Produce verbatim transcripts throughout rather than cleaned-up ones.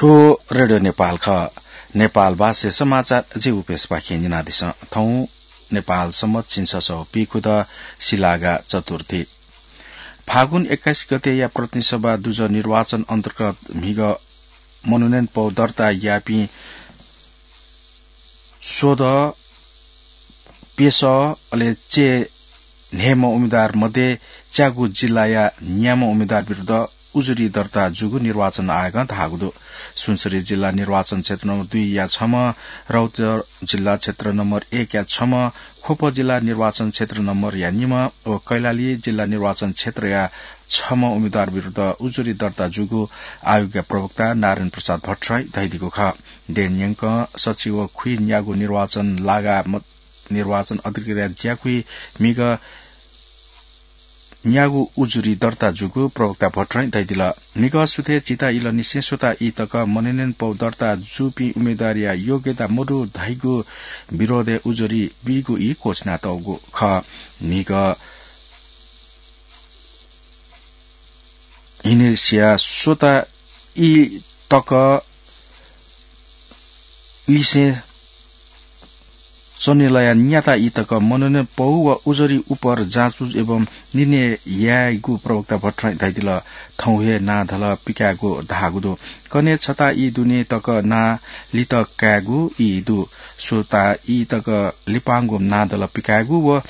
थ्व रेडियो नेपाल खः। नेपाल भाषाय् समाचार जि उपेशपाखें न्यनादिसँ। थौं नेपाल सम्बत झिंछसः व पीखुदँ सिलागा चतुर्थी। फागुन एक्काइस गतेया प्रतिनिधि सभा दुजः निर्वाचन अन्तर्गत म्हिगः मनोनयन पौ दर्ता याःपिं स्वदँ, प्यसः अले चय् न्हय्म्ह उम्मेदवार मध्ये च्यागू जिल्लाया न्याम्ह उम्मेदवार विरुद्ध उजुरी दर्ता जूगु निर्वाचन आयोगं धाःगु दु। सुनसरी जिल्ला निर्वाचन क्षेत्र नम्बर दुईया छम्ह, रौतहट जिल्ला क्षेत्र नम्बर एकया छम्ह, ख्वप जिल्ला निर्वाचन क्षेत्र नम्बरया निम्ह व कैलाली जिल्ला निर्वाचन क्षेत्रया छम्ह उम्मेदवार विरुद्ध उजुरी दर्ता जूगु आयोगया प्रवक्ता नारायण प्रसाद भट्टराईं धयादीगु खः। देन न्यंकं सच्छि व खुइन्यागू निर्वाचन लागा म-, निर्वाचन अधिकृतया ज्याकुइ म्हिगः न्यागू उजुरी दर्ता जूगु प्रवक्ता भट्टराईं धयादिल। म्हिगः सुथय् चिता इलंनिसें स्वता ई तक मनोनयन पौ दर्ता जूपिं उम्मेदवारया योग्यता मदु धइगु विरोधय् उजुरी बीगु ई क्वःछिनातःगु खः। म्हिगः हिनेसिया स्वता ई तक लिसें सनेलया न्याता ई तक मनोनयन पौ व उजुरी उपर जाँचबुझ एवं निर्णय यायेगु प्रवक्ता भट्टराईं धयादिल। थौं हे नां धल पिकायेगु धाःगु दु। कन्हय् छता ई दुने तक नां लित कायेगु ई दु। स्वता ई तक लिपांगु नां धल पिकायेगु व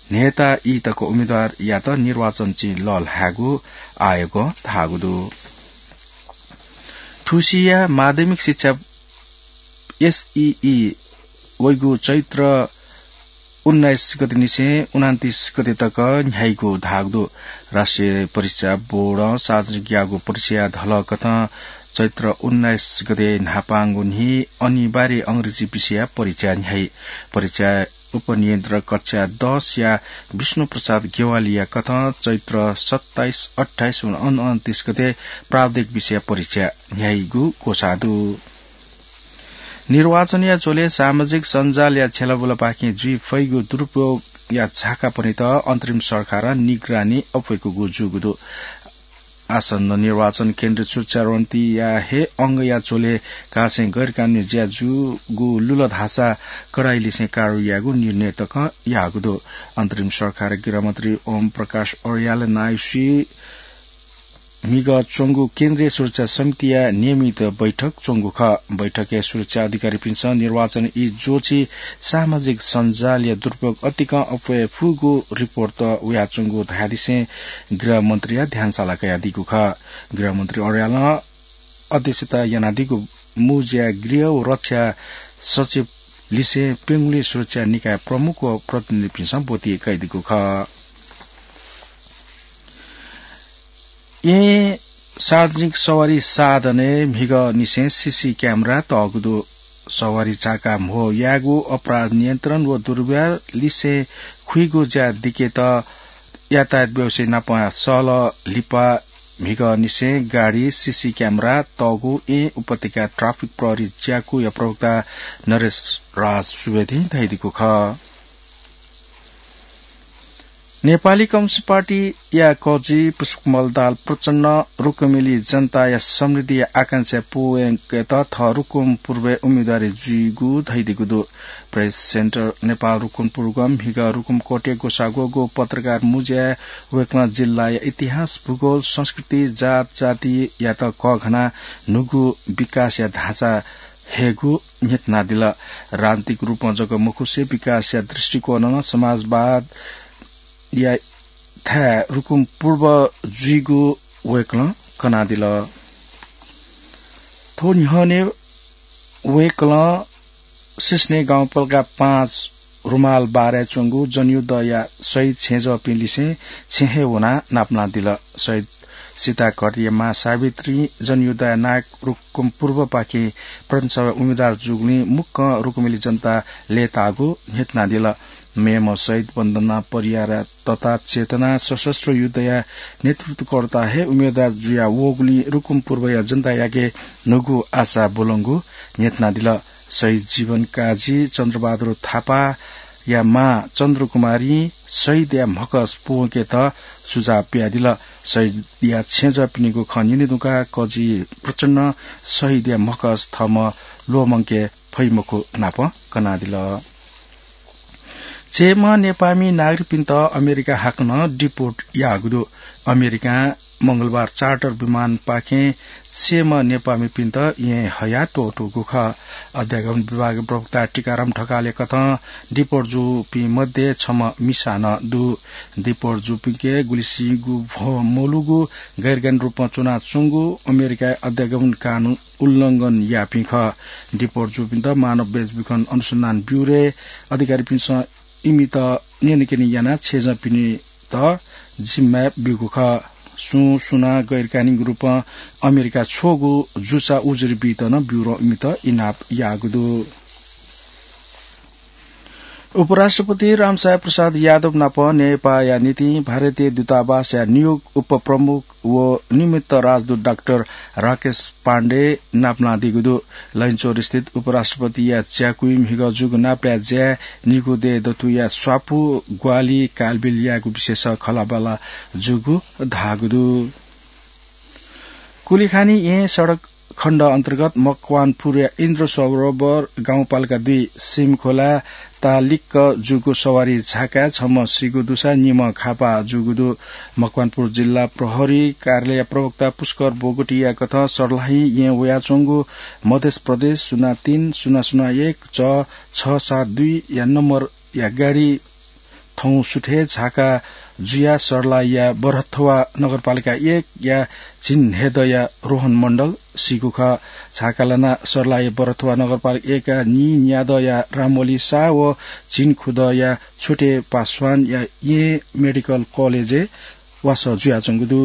न्हय्ता ई तक उम्मेदवारयात निर्वाचन चिं लःल्हायेगु आयोगं धाःगु दु। थुसिया माध्यमिक शिक्षा एसईई वइगु चैत्र उन्नाइस गतेनिसें उनान्तिस गते तक न्ह्याइगु धाःगु दु। राष्ट्रिय परीक्षा बोर्डं सार्वजनिक याःगु परीक्षाया धलकथं चैत्र उन्नाइस गते न्हापांगु न्हि अनिवार्य अंग्रेजी विषयया परीक्षा न्ह्याइ। परीक्षा उपनियन्त्रक कक्षा दसया विष्णु प्रसाद गेवालीया कथं चैत्र सत्ताइस, अट्ठाइस व उनन्तिस गते प्राविधिक विषयया परीक्षा न्ह्याइगु ग्वसाः दु। निर्वाचनया झ्वलय् सामाजिक सञ्जालया छ्यलाबुलापाखें जुइ फइगु दुरुपयोगया झाका पनेत अन्तरिम सरकारं निगरानी अप्वय्कूगु जूगु दु। आसन्न निर्वाचन केन्द्र सुरक्षा रणनीतिया हे अंगया झ्वलय् कासें गैरकानूनी ज्या जूगु लुल धाःसा कडाइलिसें कारवाही यायेगु निर्णय तकं याःगु दु। अन्तरिम सरकारया गृहमन्त्री ओम प्रकाश अर्याल नायःसि म्हिगः च्वंगु केन्द्रीय सुरक्षा समितिया नियमित बैठक च्वंगु खः। बैठकय् सुरक्षा अधिकारीपिन्सं निर्वाचन ई ज्वःछि सामाजिक सञ्जालया दुरुपयोग अतिकं अप्वये फुगु रिपोर्ट वयाच्वंगु धयादिसें गृहमन्त्रीया ध्यान साला कयादीगु खः। गृहमन्त्री अर्यालं अध्यक्षता यानादीगु मुँज्या गृह व रक्षा सचिव लिसें प्यंगुलिं सुरक्षा निकाय प्रमुख व प्रतिनिधिपिन्सं ब्वति कयादीगु खः। येँ सार्वजनिक सवारी साधनय् म्हिगःनिसें सीसी क्यामेरा तःगु दु। सवारी चाका म्हो यायेगु, अपराध नियन्त्रण व दुर्व्यवहार लिसें खुइगु ज्या दिकेत यातायात व्यवसायी नाप सहलह लिपा म्हिगःनिसें गाडी सीसी क्यामेरा तःगु येँ उपत्यका ट्राफिक प्रहरी ज्याकुया प्रवक्ता नरेश राज सुवेदीं धयादीगु खः। नेपाली कम्युनिस्ट पार्टीया कजि पुष्पकमल दाहाल प्रचण्डं रुकुमय् जनताया समृद्धिया आकांक्षा पूवंकेत थः रुकुम पूर्वय् उम्मेदवारी जुइगु धयादीगु दु। प्रेस सेन्टर नेपाल रुकुम पूर्वं म्हिगः रुकुम कोटय् ग्वसाः ग्वःगु पत्रकार मुँज्याय् वय्कलं जिल्लाया इतिहास, भूगोल, संस्कृति, जात जातियात कःघानाः न्हूगु विकासया ढाँचा हयेगु न्ह्यथनादिल। राजनीतिक रूपं जक मखुसें विकासया दृष्टिकोणं समाजवादया थाय् रुकुम पूर्व जुइगु वय्कलं कनादिल। थ्व न्ह्यःने वय्कलं सिस्ने गाउँपालिका पाँच रुमाल बारय् च्वंगु जनयुद्धया शहीद छेँजःपिं लिसें छेँ हे वनाः नापनादिल। शहीद सीताघाटया मां सावित्री, जनयुद्धया नायक रुकुम पूर्वपाखें प्रतिनिधि सभाय् उम्मेदवार जूगुलिं मुक्कं रुकुमय् जनतां लय्ताःगु न्ह्यथनादिल। मेम्ह शहीद वन्दना परियार तथा चेतना सशस्त्र युद्धया नेतृत्वकर्ता हे उम्मेदवार जुया वःगुलिं रुकुम पूर्वया जनतायाके न्हूगु आशा ब्वलंगु न्ह्यथनादिल। शहीद जीवन काजी, चन्द्रबहादुर थापा, या मां चन्द्रकुमारीं शहीदया म्हकस प्वंकेत सुझाव बियादिल। शहीदया छेँजःपिनिगु खँ न्यने धुंकाः कजि प्रचण्डं शहीदया म्हकस थःम्हं ल्वःमंके फइमखु नाप कनादिल। चय्म्ह नेपाःमि नागरिकपिन्त अमेरिका हाकनं deport याःगु दु। अमेरिकां मंगलबार charter विमानपाखें चय्म्ह नेपाःमिपिन्त येँ हयाः त्वःतूगु खः। अध्यागमन विभाग प्रवक्ता टीकाराम ढकालया कथं deport जूपिं मध्ये छम्ह मिसा नं दु। Deport जूपिंके गुलिसिंगु भ्वं मलूगु, गैरकानूनी रूपं च्वनाच्वंगु, अमेरिकाय् अध्यागमन कानून उल्लंघन याःपिं खः। Deport जूपिन्त मानव बेचबिखन अनुसन्धान ब्यूरोया अधिकारीपिन्सं इमित न्यनेकने यानाः छेँजःपिनित जिम्मा ब्यूगु खः। सुं सुनां गैरकानूनी रूपं अमेरिका छ्वःगु जुचा उजुरी बीत नं ब्यूरों इमित इनाप याःगु दु। उपराष्ट्रपति रामसाय प्रसाद यादव नाप नेपाःया निंतिं भारतीय दूतावासया नियुक्त उपप्रमुख व निमित्त राजदूत डाक्टर राकेश पाण्डे नापलादीगु दु। लैनचौर स्थित उपराष्ट्रपतिया ज्याकुइ म्हिगः जूगु नापलाये ज्याय् निगू दँय् दथुया स्वापू, ग्वाहालि, कालबिल यायेगु विषयस खँल्हाबल्हा जूगु धाःगु दु। कुलिखानी येँ सडक खण्ड अन्तर्गत मकवानपुरया इन्द्र सरोवर गाउँपालिका दुई सिमखोला तालिक्क जूगु सवारी झाकाय् छम्ह सीगु दुसा निम्ह घाःपाः जूगु दु। मकवानपुर जिल्ला प्रहरी कार्यालय प्रवक्ता पुष्कर बोगटीया कथं सर्लाही येँ वयाच्वंगु मध्य प्रदेश शून्य तीन शून्य शून्य एक च छ सात दुई या नम्बरया गाडी थौं सुथय् झाका जुयाः सर्लाहीया बरहथवा नगरपालिका एक या झिंहेदया रोहन मण्डल सीगु खः। झाका लानाः सर्लाही बरहथवा नगरपालिका एक या नीन्यादया रामवली साह व झिंखुदया छोटे पासवानया येँ मेडिकल कलेजय् वासः जुयाच्वंगु दु।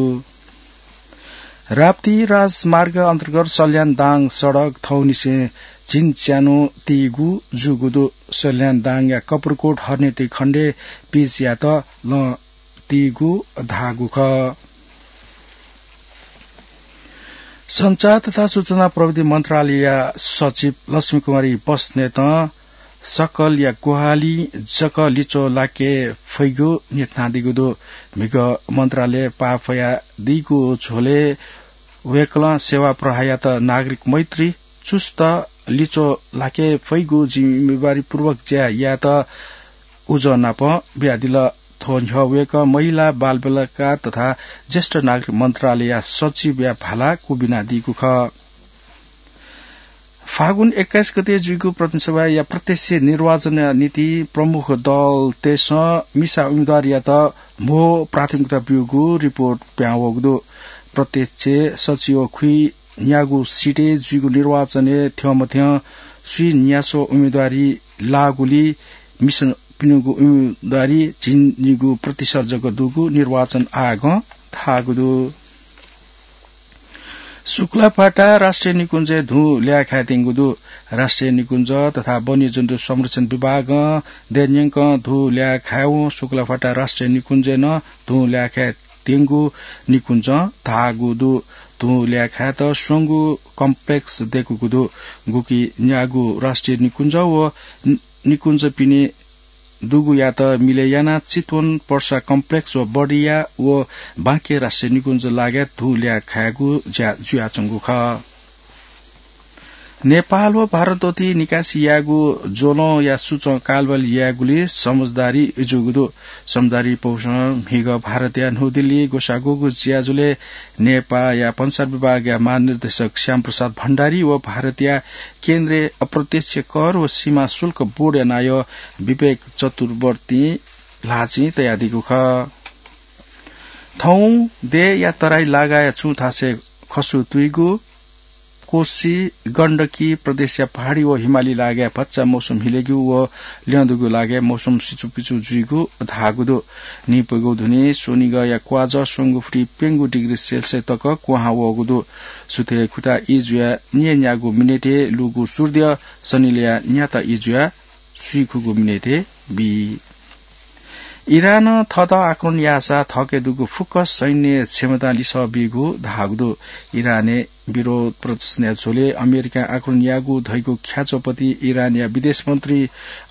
राप्ती राजमार्ग अन्तर्गत सल्यान दाङ सडक थौंनिसें झिंच्यान्हु तीगु जूगु दु। सल्यान दाङया कपुरकोट हर्नेटी खण्डय् पिच यात लं तीगु धाःगु खः। सञ्चार तथा सूचना प्रविधि मन्त्रालयया सचिव लक्ष्मी कुमारी बस्नेतं सकलया ग्वाहालि जक लिच्वः लाके फइगु न्ह्यथनादीगु दु। म्हिगः मन्त्रालय पाफयादीगु झ्वलय् वय्कलं सेवा प्रवाहयात नागरिक मैत्री, चुस्त लिच्वः लाके फइगु जिम्मेवारीपूर्वक ज्या यायेत उजं नाप बियादिल। थ्व न्ह्यः वय्कः महिला, बालबालिका तथा ज्येष्ठ नागरिक मन्त्रालयया सचिवया भाला क्वबिनादीगु खः। फागुन एक्काइस गते जुइगु प्रतिनिधि सभाया प्रत्यक्ष निर्वाचनया निंतिं प्रमुख दलतय्सं मिसा उम्मेदवारयात म्हो प्राथमिकता ब्यूगु रिपोर्ट पिहां वःगु दु। प्रत्यक्ष सचिव खुइन्यागू सिटय् जुइगु निर्वाचनय् थ्यंमथ्यं स्वीन्यास्व उम्मेदवारी लाःगुलिं मिसापिनिगु उम्मेदवारी झिंनिगू प्रतिशत जक दुगु निर्वाचन आयोगं धाःगु दु। शुक्लाफाटा राष्ट्रिय निकुञ्जय् धुं ल्याः खायेत्यंगु दु। राष्ट्रिय निकुञ्ज तथा वन्यजन्तु संरक्षण विभागं दँय्‌न्यंकं धुं ल्याः खायेवं शुक्लाफाटा राष्ट्रिय निकुञ्जय् नं धुं ल्याः खायेत्यंगु निकुञ्जं धाःगु दु। धुं ल्याः खायेत स्वंगू कम्प्लेक्स दय्‌कूगु दु। गुकी न्यागू राष्ट्रिय निकुञ्ज व नि-, निकुञ्जपिनि दुगुयात मिलय् यानाः चितवन, पर्सा कम्प्लेक्स व बर्दिया व बाँके राष्ट्रिय निकुञ्ज लागाय् धुं ल्याः खायेगु ज्या जुयाच्वंगु खः। नेपाल व भारत दथुइ निकासी यायेगु ज्वलंया सुचं कालबाल यायेगुलिं समझदारी जूगु दु। समझदारी पौसं म्हिगः भारतया न्हू दिल्ली ग्वसाः ग्वःगु ज्याझ्वलय् नेपाःया भन्सार विभागया महानिर्देशक श्यामप्रसाद भण्डारी व भारतया केन्द्रीय अप्रत्यक्ष कर व सीमा शुल्क बोर्डया नायः विवेक चतुर्वर्तीं ल्हाःचिं तयादीगु खः। थौं देय्‌या तराई लागाय् छुं थासय् खसु तुइगु, कोशी, गण्डकी प्रदेशया पहाडी व हिमाली लागाय् भचा मौसम हिलेगु व ल्यं दुगु लागाय् मौसम सिचुपिचु जुइगु धाःगु दु। नीप्वय्‌गु धुनि स्वनिगःया क्वाःजः स्वंगू फुति प्यंगू डिग्री सेल्सियस तक क्वहां वःगु दु। सुथय् खुता ई जुयाः न्यय्‌न्यागू मिनेटय् लूगु सूर्य सनिलया न्याता ई जुयाः स्वीखुगू मिनेटय् बी। इरानं थःत आक्रमण याःसा थःके दुगु फुक्क सैन्य क्षमतां लिसः बीगु धाःगु दु। इरानय् विरोध प्रदर्शनया झ्वलय् अमेरिकां आक्रमण याःगु धइगु ख्याच्वःपति इरानया विदेश मन्त्री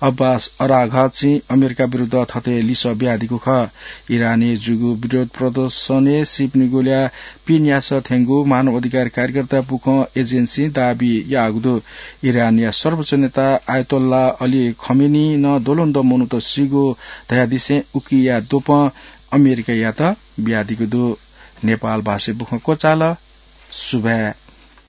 अब्बास अराघाचीं अमेरिका विरुद्ध थथे लिसः बियादीगु खः। इरानय् जूगु विरोध प्रदर्शनय् सीपनिगुल्या पीन्यासः थ्यंगु मानव अधिकार कार्यकर्ता बुखँ एजेन्सीं दाबी याःगु दु। इरानया सर्वोच्च नेता आयतोल्ला अली खमेनी नं द्वलंद्वः मनूत सीगु धयादिसें उकिया द्वपं अमेरिकायात बियादीगु दु। नेपाल भाषाय् बुखँ क्वचाल। सुभाय्।